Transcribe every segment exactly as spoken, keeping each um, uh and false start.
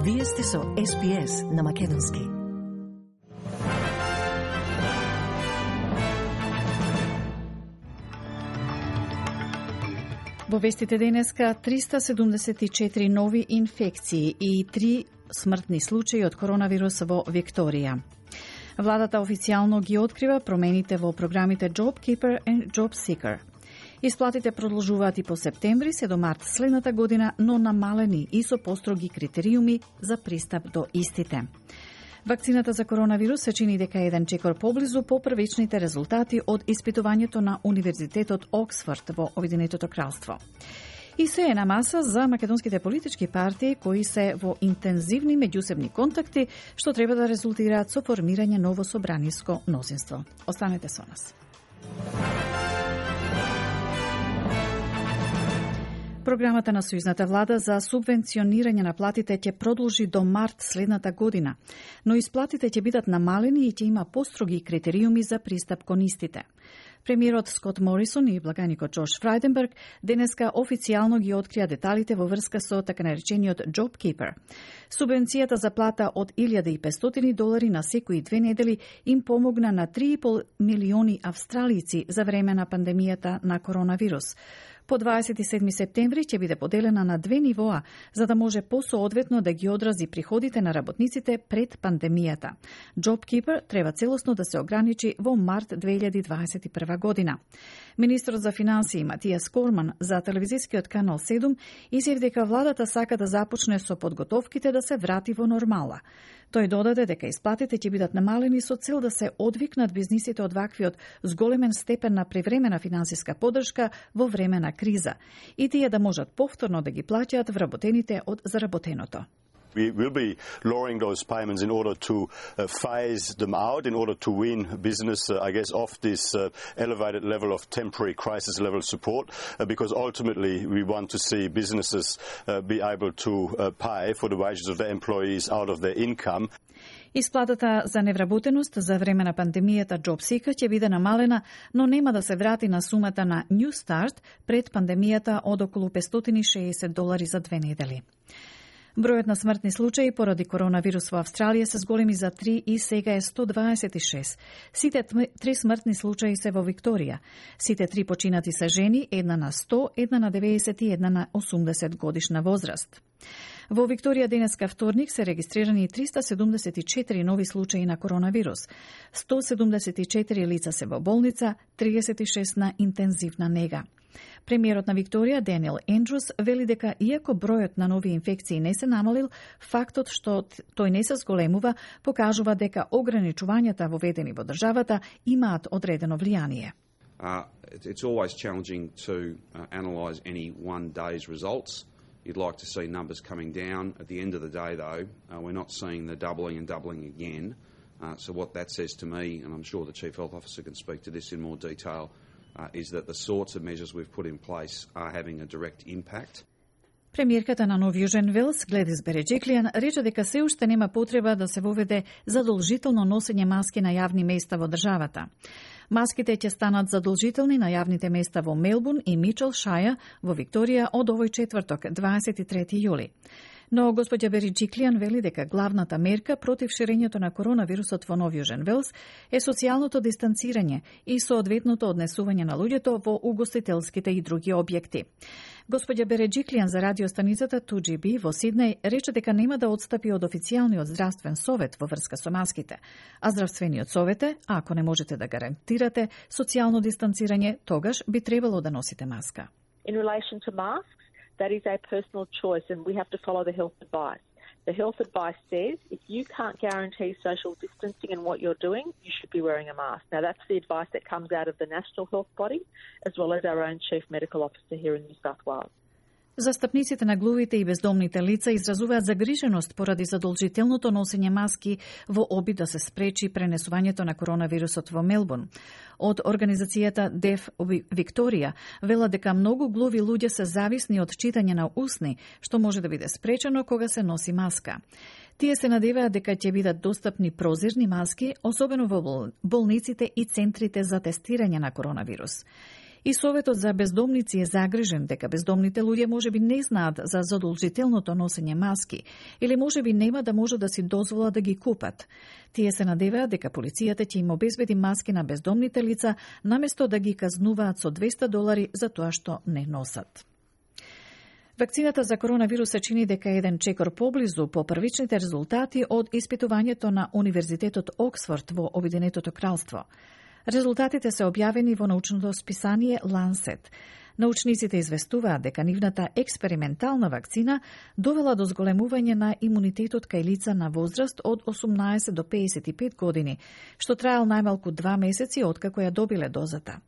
Вие сте со Ес Би Ес на Македонски. Во вестите денеска триста седумдесет и четири нови инфекции и три смртни случаи од коронавирус во Викторија. Владата официјално ги открива промените во програмите JobKeeper и JobSeeker. Исплатите продолжуваат и по септември се до март следната година, но намалени и со построги критериуми за пристап до истите. Вакцината за коронавирус се чини дека еден чекор поблизу по првичните резултати од испитувањето на Универзитетот Оксфорд во Обединетото кралство. И се е на маса за македонските политички партии кои се во интензивни меѓусебни контакти, што треба да резултираат со формирање ново собраниско мнозинство. Останете со нас. Програмата на Сојузната влада за субвенционирање на платите ќе продолжи до март следната година, но исплатите ќе бидат намалени и ќе има построги критериуми за пристап кон истите. Премиерот Скот Морисон и благаникот Джош Фрајденберг денеска официјално ги открија деталите во врска со така наречениот JobKeeper. Субвенцијата за плата од илјада и петстотини долари на секои две недели им помогна на три и пол милиони австралици за време на пандемијата на коронавирус. По дваесет и седми септември ќе биде поделена на две нивоа, за да може посоодветно да ги одрази приходите на работниците пред пандемијата. JobKeeper треба целосно да се ограничи во март две илјади дваесет и прва година. Министрот за финансии Матијас Корман за телевизискиот канал седум изјави дека владата сака да започне со подготовките да се врати во нормала. Тој додаде дека исплатите ќе бидат намалени со цел да се одвикнат бизнисите од ваквиот зголемен степен на превремена финансиска поддршка во време на криза и тие да можат повторно да ги плаќаат вработените од заработеното. We will be lowering those payments in order to uh, phase them out, in order to wean business, uh, I guess, off this uh, elevated level of temporary crisis level support, uh, because ultimately we want to see businesses uh, be able to uh, pay for the wages of their employees out of their income. Исплатата за невработеност за време на пандемијата JobSeeker ќе биде намалена, но нема да се врати на сумата на New Start пред пандемијата од околу петстотини и шеесет долари за две недели. Бројот на смртни случаи поради коронавирус во Австралија се зголеми за три и сега е сто дваесет и шест. Сите три смртни случаи се во Викторија. Сите три починати се жени, една на сто, една на деветдесет и една на осумдесет годишна возраст. Во Викторија денеска вторник се регистрирани триста седумдесет и четири нови случаи на коронавирус. сто седумдесет и четири лица се во болница, триесет и шест на интензивна нега. Премиерот на Викторија, Даниел Ендрус, вели дека иако бројот на нови инфекции не се намалил, фактот што тој не се зголемува покажува дека ограничувањата воведени во државата имаат одредено влијание. Uh, it's always challenging to uh, analyse any one day's results. You'd like to see numbers coming down. At the end of the day, though, uh, we're not seeing the doubling and doubling again. Uh, so what that says to me, and I'm sure the Chief Health Officer can speak to this in more detail, uh, is that the sorts of measures we've put in place are having a direct impact. Премиерката на Нов Јужен Велс, Гледис Береџиклијан, рече дека се уште нема потреба да се воведе задолжително носење маски на јавни места во државата. Маските ќе станат задолжителни на јавните места во Мелбурн и Мичел Шаја во Викторија од овој четврток, дваесет и трети јули. Но господја Береџиклијан вели дека главната мерка против ширењето на коронавирусот во Нов Јужен Велс е социјалното дистанцирање и соодветното однесување на луѓето во угостителските и други објекти. Господја Береџиклијан за радиостаницата ту џи би во Сиднеј рече дека нема да отстапи од официјалниот здравствен совет во врска со маските, а здравствениот совет е, ако не можете да гарантирате социјално дистанцирање, тогаш би требало да носите маска. In relation to masks, that is a personal choice and we have to follow the health advice. The health advice says if you can't guarantee social distancing in what you're doing, you should be wearing a mask. Now that's the advice that comes out of the National Health Body as well as our own Chief Medical Officer here in New South Wales. Застапниците на глувите и бездомните лица изразуваат загриженост поради задолжителното носење маски во обид да се спречи пренесувањето на коронавирусот во Мелбурн. Од организацијата Deaf Victoria вела дека многу глуви луѓе се зависни од читање на усни, што може да биде спречено кога се носи маска. Тие се надеваат дека ќе бидат достапни прозирни маски, особено во болниците и центрите за тестирање на коронавирус. И Советот за бездомници е загрижен дека бездомните луѓе можеби не знаат за задолжителното носење маски или можеби нема да може да си дозволат да ги купат. Тие се надеваат дека полицијата ќе им обезбеди маски на бездомните лица наместо да ги казнуваат со двесте долари за тоа што не носат. Вакцината за коронавирус се чини дека е еден чекор поблизу по првичните резултати од испитувањето на Универзитетот Оксфорд во Обединетото кралство. Резултатите се објавени во научното списание Lancet. Научниците известуваат дека нивната експериментална вакцина довела до зголемување на имунитетот кај лица на возраст од осумнаесет до пеесет и пет години, што траел најмалку два месеци откако ја добиле дозата.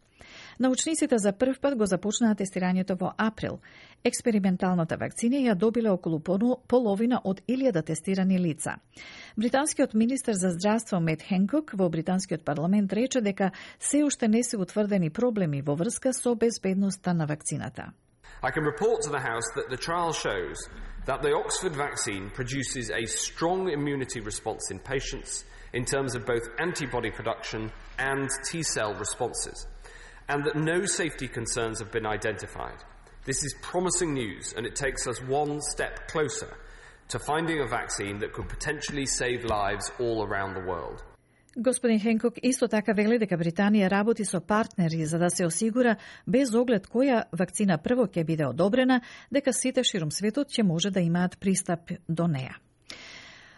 Научниците за прв пат го започнаа тестирањето во април. Експерименталната вакцина ја добиле околу половина од илјада тестирани лица. Британскиот министер за здравство Мет Хенкок во британскиот парламент рече дека се уште не се утврдени проблеми во врска со безбедноста на вакцината. I can report to the House that the trial shows that the Oxford vaccine produces a strong immunity response in patients in terms of both antibody production and T-cell responses, and that no safety concerns have been identified. This is promising news, and it takes us one step closer to finding a vaccine that could potentially save lives all around the world. Господин Хенкок исто така вели дека Британија работи со партнери за да се осигура, без оглед која вакцина прво ќе биде одобрена, дека сите ширум светот ќе може да имаат пристап до неа.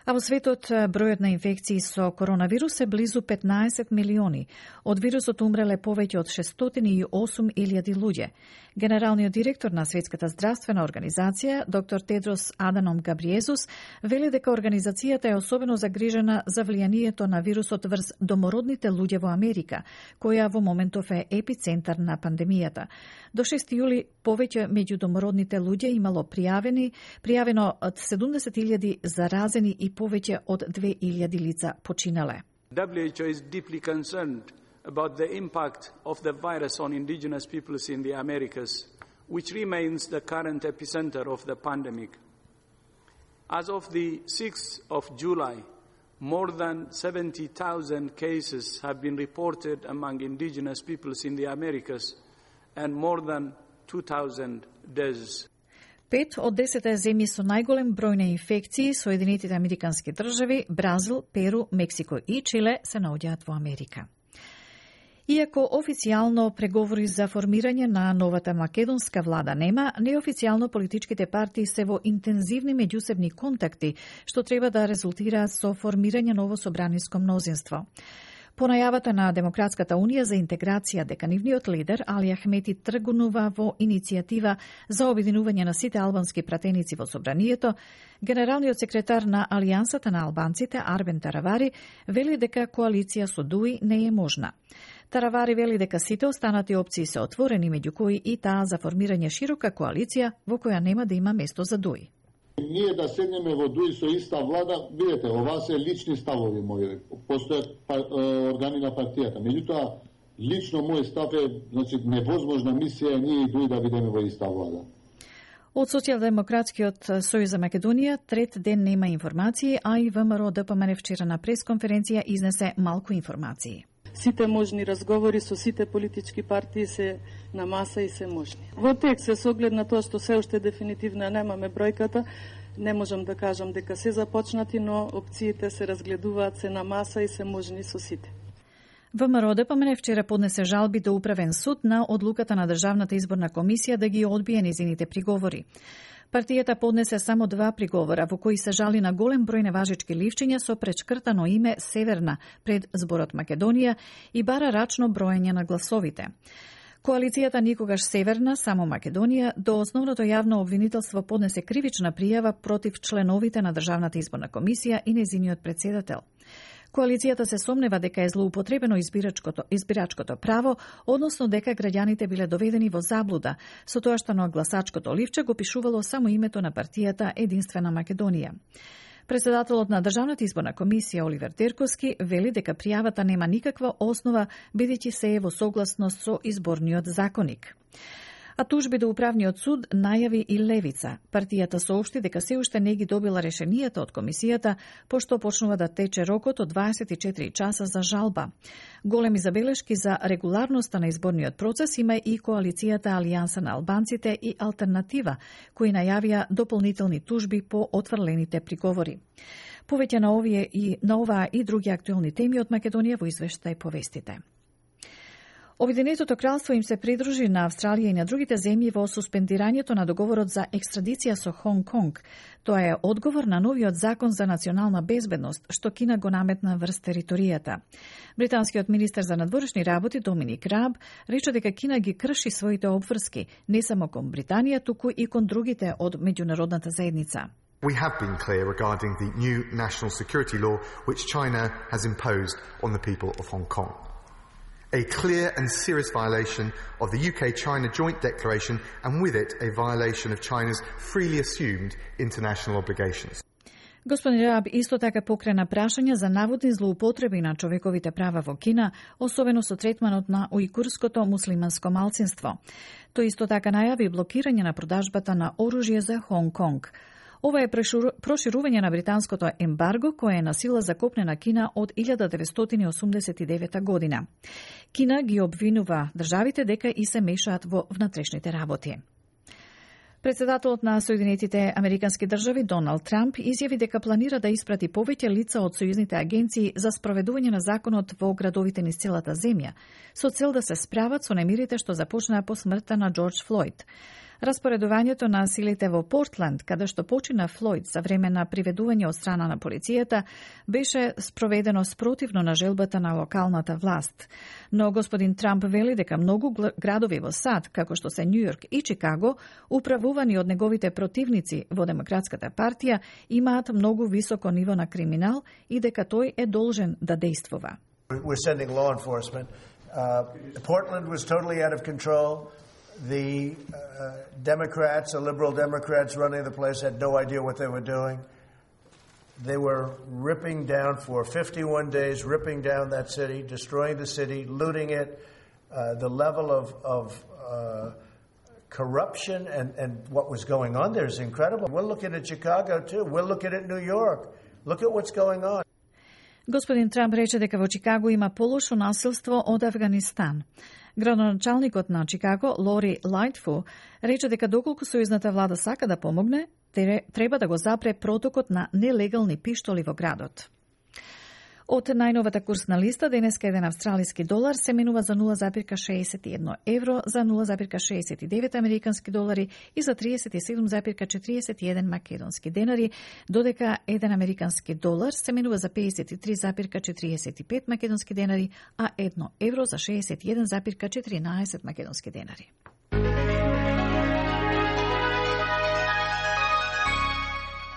А во светот бројот на инфекции со коронавирус е близу петнаесет милиони. Од вирусот умреле повеќе од шестстотини и осум илјади луѓе. Генералниот директор на Светската здравствена организација, доктор Тедрос Аданом Габриезус, вели дека организацијата е особено загрижена за влијанието на вирусот врз домородните луѓе во Америка, која во моментов е епицентар на пандемијата. До шести јули повеќе меѓу домородните луѓе имало пријавени, пријавено од седумдесет илјади заразени и повеќе од две илјади лица починале. W H O is deeply concerned about the impact of the virus on indigenous peoples in the Americas, which remains the current epicenter of the pandemic. As of the sixth of July, more than seventy thousand cases have been reported among indigenous peoples in the Americas and more than two thousand deaths. Пет од десет земји со најголем број на инфекции, Соединетите Американски држави, Бразил, Перу, Мексико и Чиле се наоѓаат во Америка. Иако официјално преговори за формирање на новата македонска влада нема, неофицијално политичките партии се во интензивни меѓусебни контакти, што треба да резултира со формирање ново собраниско мнозинство. По најавата на Демократската унија за интеграција дека нивниот лидер Али Ахмети тргнува во иницијатива за обединување на сите албански пратеници во собранието, генералниот секретар на Алијансата на албанците Арбен Таравари вели дека коалиција со ДУИ не е можна. Таравари вели дека сите останати опции се отворени, меѓу кои и таа за формирање широка коалиција во која нема да има место за ДУИ. Ние да седнеме во ДУИ со иста влада, видите, ова се лични ставови мои, постојат органи на партијата. Меѓутоа, лично мој став е, значи, невозможна мисија ние и ДУИ да бидеме во иста влада. Од Социјалдемократскиот сојуз за Македонија трет ден нема информации, а и ВМРО ДПМН вчера на пресконференција изнесе малку информации. Сите можни разговори со сите политички партии се на маса и се можни. Во текст се соглед на тоа што се уште дефинитивно немаме бројката, не можам да кажам дека се започнати, но опциите се разгледуваат, се на маса и се можни со сите. ВМРО ДПМН вчера поднесе жалби до Управен суд на одлуката на Државната изборна комисија да ги одбие незините приговори. Партијата поднесе само два приговора во кои се жали на голем број неважички ливчиња со пречкртано име Северна пред зборот Македонија и бара рачно броење на гласовите. Коалицијата Никогаш Северна, само Македонија, до основното јавно обвинителство поднесе кривична пријава против членовите на Државната изборна комисија и незиниот председател. Коалицијата се сомнева дека е злоупотребено избирачкото, избирачкото право, односно дека граѓаните биле доведени во заблуда, со тоа што на гласачкото ливче го пишувало само името на партијата Единствена Македонија. Председателот на Државната изборна комисија Оливер Терковски вели дека пријавата нема никаква основа, бидејќи се е во согласност со изборниот законник. А тужби до управниот суд најави и Левица. Партијата соопшти дека се уште не ги добила решенијата од комисијата, пошто почнува да тече рокот од дваесет и четири часа за жалба. Големи забелешки за регуларноста на изборниот процес има и коалицијата Алијанса на албанците и Алтернатива, кои најавија дополнителни тужби по отврлените приговори. Повеќе на овие и на оваа и други актуелни теми од Македонија во извештај повестите. Обединетото кралство им се придружи на Австралија и на другите земји во суспендирањето на договорот за екстрадиција со Хонг Конг. Тоа е одговор на новиот закон за национална безбедност, што Кина го наметна врз територијата. Британскиот министер за надворешни работи Доминик Раб рече дека Кина ги крши своите обврски, не само кон Британија, туку и кон другите од меѓународната заедница. We have been clear regarding the new national security law which China has imposed on the people of Hong Kong. A clear and serious violation of the U K China joint declaration and with it a violation of China's freely assumed international obligations. Господин Раб исто така покрена прашања за наводни злоупотреби на човековите права во Кина, особено со третманот на ујгурското муслиманско малцинство. Тој исто така најави блокирање на продажбата на оружје за Хонг Конг. Ова е проширување на британското ембарго кое е на сила закопнена Кина од илјада деветстотини осумдесет и девета година. Кина ги обвинува државите дека и се мешаат во внатрешните работи. Председателот на Соединетите Американски држави Доналд Трамп изјави дека планира да испрати повеќе лица од сојузните агенции за спроведување на законот во градовите низ целата земја, со цел да се справат со немирите што започнаа по смртта на Џорџ Флојд. Распоредувањето на силите во Портланд, каде што почина Флојд за време на приведување од страна на полицијата, беше спроведено спротивно на желбата на локалната власт. Но господин Трамп вели дека многу градови во САД, како што се Њујорк и Чикаго, управувани од неговите противници во Демократската партија, имаат многу високо ниво на криминал и дека тој е должен да действува. We're sending law enforcement. Uh, Portland was totally out of control. The uh, Democrats, the liberal Democrats running the place, had no idea what they were doing. They were ripping down for fifty-one days, ripping down that city, destroying the city, looting it. Uh, the level of, of uh, corruption and, and what was going on there is incredible. We're looking at Chicago, too. We're looking at New York. Look at what's going on. Господин Трамп рече дека во Чикаго има полошо насилство од Афганистан. Градоначалникот на Чикаго, Лори Лајтфу, рече дека доколку сојузната влада сака да помогне, треба да го запре протокот на нелегални пиштоли во градот. Од најновата курсна листа, денеска еден австралиски долар се менува за нула запирка шеесет и едно евро, за нула запирка шеесет и девет американски долари и за триесет и седум запирка четириесет и еден македонски денари, додека еден американски долар се менува за пеесет и три запирка четириесет и пет македонски денари, а едно евро за шеесет и еден запирка четиринаесет македонски денари.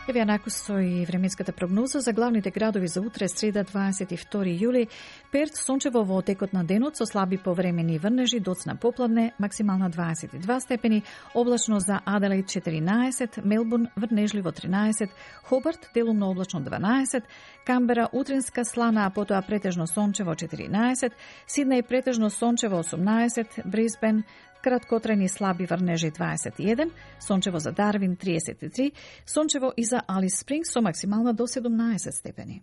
Еве накусо и временската прогноза за главните градови за утре, среда дваесет и втори јули. Перт сончево во текот на денот со слаби повремени врнежи, доцна попладне, максимална дваесет и два степени, облачно за Аделаид четиринаесет, Мелбурн врнежливо тринаесет, Хобарт делумно облачно дванаесет, Камбера утринска слана, а потоа претежно сончево четиринаесет, Сиднеј претежно сончево осумнаесет, Брисбен краткотрени слаби врнежи дваесет и еден, сончево за Дарвин триесет и три, сончево и за Алис Спрингс со максимална до седумнаесет степени.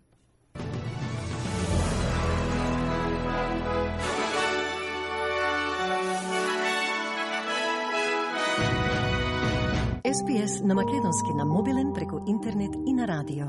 Ес Би Ес на македонски на мобилен преку интернет и на радио.